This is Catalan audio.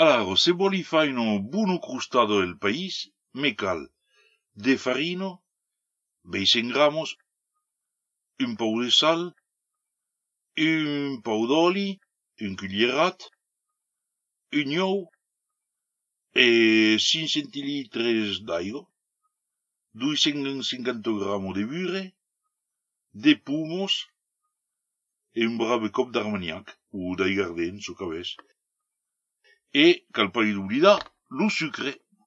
Alors, se voli fai un buono crustado del país, me cal de farino, 25 gramos, un pou de sal, un pou d'oli, un cuglierat, un ou, e 5 centilitres d'aigua, 250 gramos de bure, de pomos, e un brave cop d'armagnac, ou d'aigardent, so cabès. E, cal pas oblidar, lo sucre.